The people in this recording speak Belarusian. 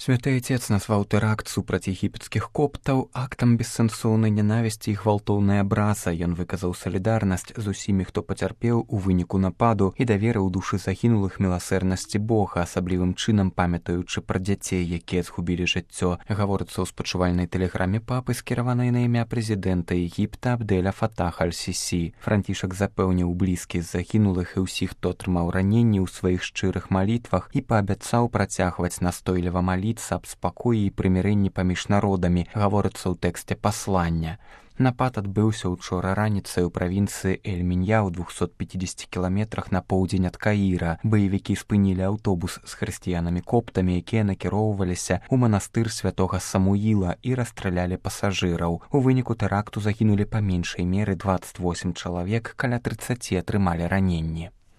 Святы Отец назваў тэракт супраць егіпецкіх коптаў актам бессэнсоўнай нянавісці і гвалтоўнай абраза. Ён выказаў салідарнасць з усімі, хто пацярпеў у выніку нападу і даверыў душы загінулых міласэрнасці Бога, асаблівым чынам памятаючы пра дзяцей, якія згубілі жыццё. Гаворыцца ў спачувальнай тэлеграме папы, скіраванай на імя прэзідэнта Егіпта Абдэля Фатаха аль-Сісі. Францішак запэўніў блізкіх загінулых і ўсіх, хто атрымаў раненні ў сваіх шчырых малітвах і паабяцаў працягваць настойліва маліцца аб спакоі і прымірэнні паміж народамі, гаворыцца ў тэксце паслання. Напад адбыўся ўчора раніцай у правінцыі Эль-Мінья ў 250 кіламетрах на поўдзень ад Каіра. Баевікі спынілі аўтобус з хрысціянамі-коптамі, якія накіроўваліся ў манастыр святога Самуіла і расстралялі пасажыраў. У выніку тэракту загінулі па меншай меры 28 чалавек, каля 30 атрымалі раненні.